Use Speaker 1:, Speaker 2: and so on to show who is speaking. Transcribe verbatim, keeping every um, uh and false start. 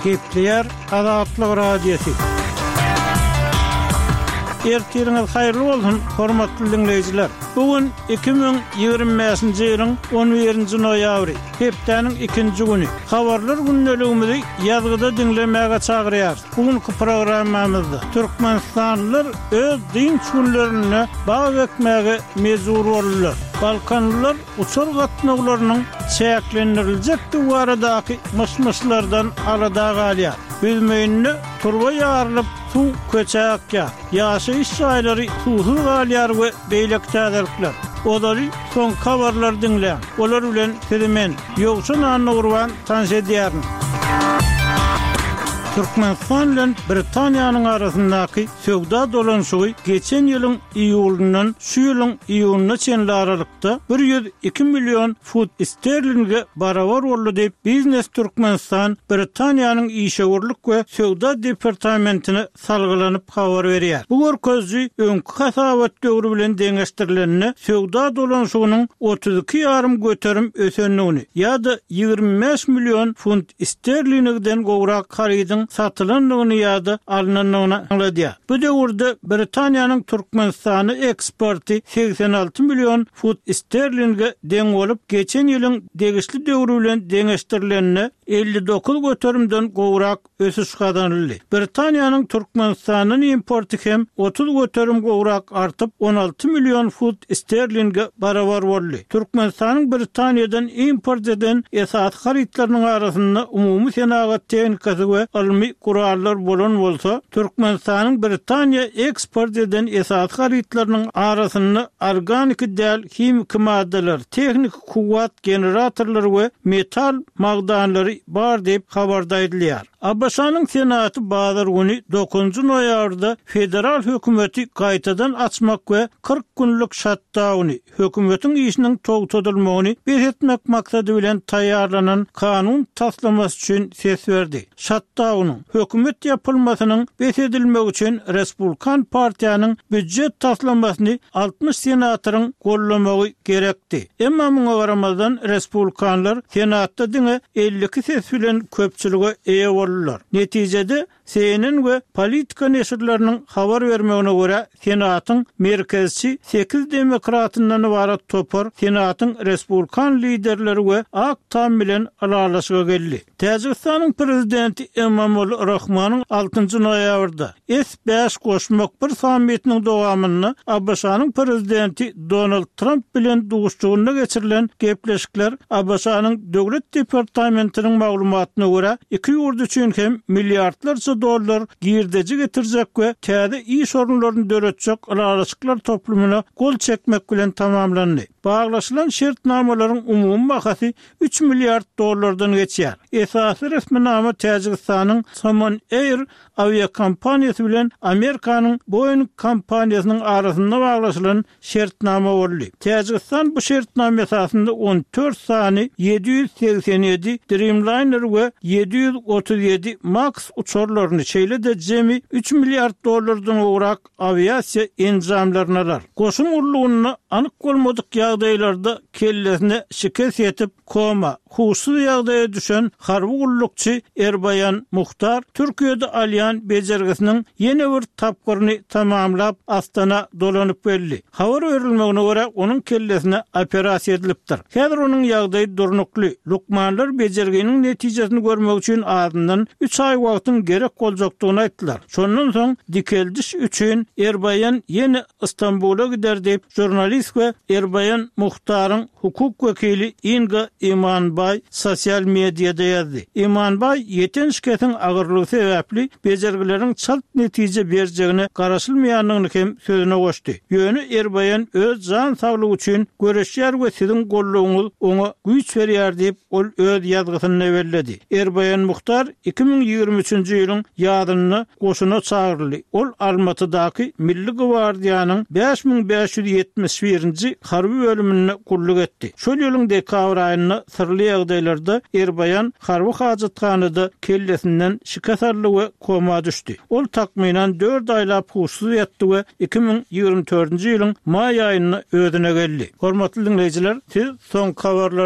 Speaker 1: Gepleýär Azatlyk Radiosy. Ertiriňiz haýyrly bolsun, hormatly diňleýjiler. Bu gün iki müň ýigrimi bäşinji ýylyň on birinji noýabry, hepdäniň ikinji güni. Habarlar gündeligimizi ýazgyda diňlemäge çagyrýarys. Bu günki programmamyzda türkmenistanlylar öz dynç günlerinde bag ekmäge mejbur boldular. Balkanlylar uçar gatnawlarynyň çäklendiriljekdigi baradaky myş-myşlardan alada galýar. Büzmeýinde turba ýarylyp, suw köçä akýar. Ýaşaýyş jaýlary suwsuz galýar we beýleki täzelikler. Ozaly soňky habarlary diňläň. Olar bilen sizi men, Ýowşan Annagurban tanyş edýärin. Türkmenistan bilen Britaniýanyň arasyndaky söwda dolanyşygy geçen ýylyň iýulyndan şu ýylyň iýunyna çenli aralykda bir ýüz iki million funt sterlinge barabar boldy diýip, Biznes Türkmenistan Britaniýanyň işewürlik we söwda departamentine salgylanyp habar berýär. Bu görkeziji öňki hasabat döwri bilen deňeşdirilende söwda dolanyşygynyň otuz iki ýarym göterim ösendigini ýa-da ýigrimi bäş million funt sterlingden gowrak harydyň satylandygyny ýa-da alnandygyny aňladýar. Bu döwürde Britaniýanyň Türkmenistana eksporty segsen alty million funt sterlinge deň bolup, geçen ýylyň degişli döwri bilen deňeşdirilende elli dokuz göterimden gowrak ösüş gazanyldy. Britaniýanyň Türkmenistandan importy hem otuz göterim gowrak artyp, on alty million funt sterlinge barabar boldy. Türkmenistanyň Britaniýadan import eden esasy harytlarynyň arasynda umumy senagat tehnikasy we ylmy gurallar bolan bolsa, Türkmenistanyň Britaniýa eksport eden esasy harytlarynyň arasynda organiki däl himiki maddalar, tehniki kuwwat generatorlary we metal magdanlary bar diýip habarda aýdylýar. A B Ş-nyň Senaty bazar güni dokuzynjy noýabrda federal hökümeti gaýtadan açmak we kyrk günlük şatdauny, hökümetiň işiniň togtadylmagyny bes etmek maksady bilen taýýarlanan kanun taslamasy üçin ses berdi. Şatdaunyň hökümet ýapylmasynyň bes edilmegi üçin Respublikan partiýanyň býujet taslamasyny altmyş senatoryň gollamagy gerekdi. Emma muňa garamazdan Respublikanlar Senatda diňe elli iki ses bilen köpçülige eýe boldular. Netijede C N N we Politika neşirleriniň habar bermegine görä Senatyň merkezçi sekiz demokratyndan ibarat topar Senatyň Respublikan liderleri we Ak Tam bilen ylalaşyga geldi. Täjigistanyň prezidenti Emomali Rahmanyň altynjy noýabrda S bäş goşmak bir sammitiniň dowamynda A B Ş-nyň prezidenti Donald Tramp bilen duşuşygynda geçirilen gepleşikler A B Ş-nyň Döwlet departamentiniň maglumatyna görä iki ýurt üçin hem milliardlarça dollar girdeji getirjek we täze iş orunlaryny döretjek ylalaşyklar toplumyna gol çekmek bilen tamamlandy. Baglaşylan şertnamalaryň umumy bahasy üç milliard dollardan geçýär. Esasy resminama Täjigistanyň Somon Air awiakompaniýasy bilen Amerikanyň Boeing kompaniýasynyň arasynda baglaşylan şertnama boldy. Täjigistan bu şertnama esasynda on dört sany ýedi ýüz segsen ýedi Dreamliner we ýedi ýüz otuz ýedi Max uçarlaryny, şeýle-de jemi üç milliard dollardan gowrak awiasiýa enjamlaryny alar. Goşun gullugynda anyk bolmadyk ýagdaýlarda kellesine şikes ýetip, koma, huşsuz ýagdaýa düşen harby gullukçy Erbaýan Muhtar Türkiýede alýan bejergisiniň ýene bir tapgyryny tamamlap Astana dolanyp geldi. Habar berilmegine görä onuň kellesine operasiýa edilipdir. Häzir onuň ýagdaýy durnukly. Lukmanlar bejerginiň netijesini görmek üçin azyndan üç aý wagtyň gerek boljakdygyny aýtdylar. Şondan soň dikeldiş üçin Erbaýan ýene Istanbula gider diýip jurnalist we Erbaýan Muhtaryň hukuk wekili Inga Imanbaý sosial mediada ýazdy. Imanbaý ýeten şikesiň agyrlygy sebäpli bejergileriň çalt netije berjegine garaşylmaýandygyny hem sözüne goşdy. Ýöne Erbaýan öz jan saglygy üçin göreşýär we siziň gollugyňyz oňa güýç berýär diýip ol öz ýazgysynda belledi. Erbaýan Muhtar iki müň ýigrimi üçünji ýylyň ýazynda goşuna çagyryldy. Ol Almatydaky Milli gwardiýanyň bäş müň bäş ýüz ýetmiş birinji harby bölüminde gulluk etdi. Şol ýylyň dekabr aýynda syrly ýagdaýlarda Erbaýan harby hajathanada kellesinden şikes aldy we koma düşdi. Ol takmynan dört aýlap huşsuz ýatdy we iki müň ýigrimi dördünji ýylyň maý aýynda özüne geldi. Hormatly dinleýjiler, siz soňky habarlar